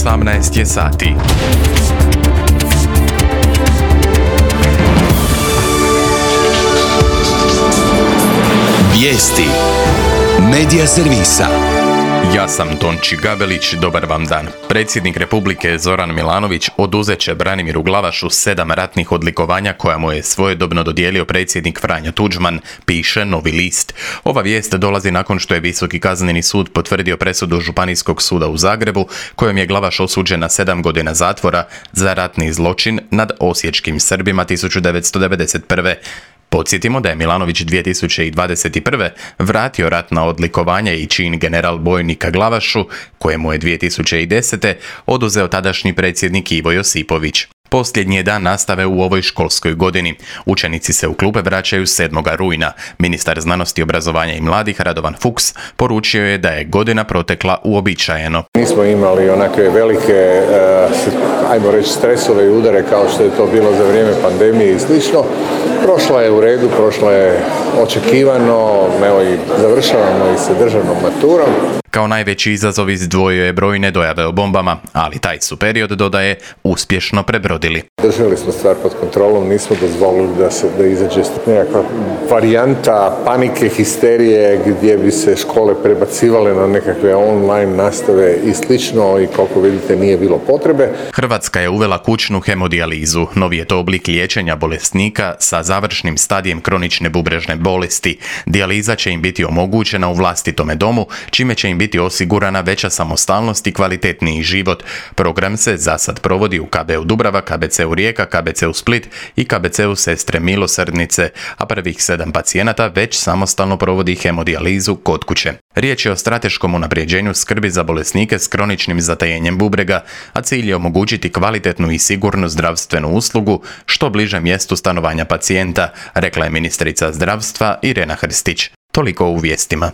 18 je sati. Vijesti Medija servisa. Ja sam Tonči Gabelić, dobar vam dan. Predsjednik Republike Zoran Milanović oduzet će Branimiru Glavašu 7 ratnih odlikovanja koja mu je svojedobno dodijelio predsjednik Franjo Tuđman, piše Novi list. Ova vijest dolazi nakon što je Visoki kazneni sud potvrdio presudu Županijskog suda u Zagrebu, kojom je Glavaš osuđen na 7 godina zatvora za ratni zločin nad osječkim Srbima 1991. Podsjetimo da je Milanović 2021. vratio ratna odlikovanja i čin general bojnika Glavašu, kojemu je 2010. oduzeo tadašnji predsjednik Ivo Josipović. Posljednji je dan nastave u ovoj školskoj godini. Učenici se u klupe vraćaju 7. rujna. Ministar znanosti, obrazovanja i mladih Radovan Fuchs poručio je da je godina protekla uobičajeno. Nismo imali onakve velike, ajmo reći, stresove i udare kao što je to bilo za vrijeme pandemije i slično. Prošla je u redu, prošla je očekivano, evo i završavamo i sa državnom maturom. Kao najveći izazov izdvojio je brojne dojave o bombama, ali taj su period, dodaje, uspješno prebrodili. Držali smo stvar pod kontrolom, nismo dozvolili da izađe nekakva varijanta panike, histerije, gdje bi se škole prebacivale na nekakve online nastave i slično i koliko vidite nije bilo potrebe. Hrvatska je uvela kućnu hemodijalizu. Novi je to oblik liječenja bolesnika sa završnim stadijem kronične bubrežne bolesti. Dijaliza će im biti omogućena u vlastitome domu, čime će im biti osigurana veća samostalnost i kvalitetniji život. Program se za sad provodi u KB-u Dubrava, KBC-u Rijeka, KBC-u Split i KBC-u Sestre Milosrdnice, a prvih 7 pacijenata već samostalno provodi hemodijalizu kod kuće. Riječ je o strateškom unapređenju skrbi za bolesnike s kroničnim zatajenjem bubrega, a cilj je omogućiti kvalitetnu i sigurnu zdravstvenu uslugu što bliže mjestu stanovanja pacijenta, rekla je ministrica zdravstva Irena Hrstić. Toliko u vijestima.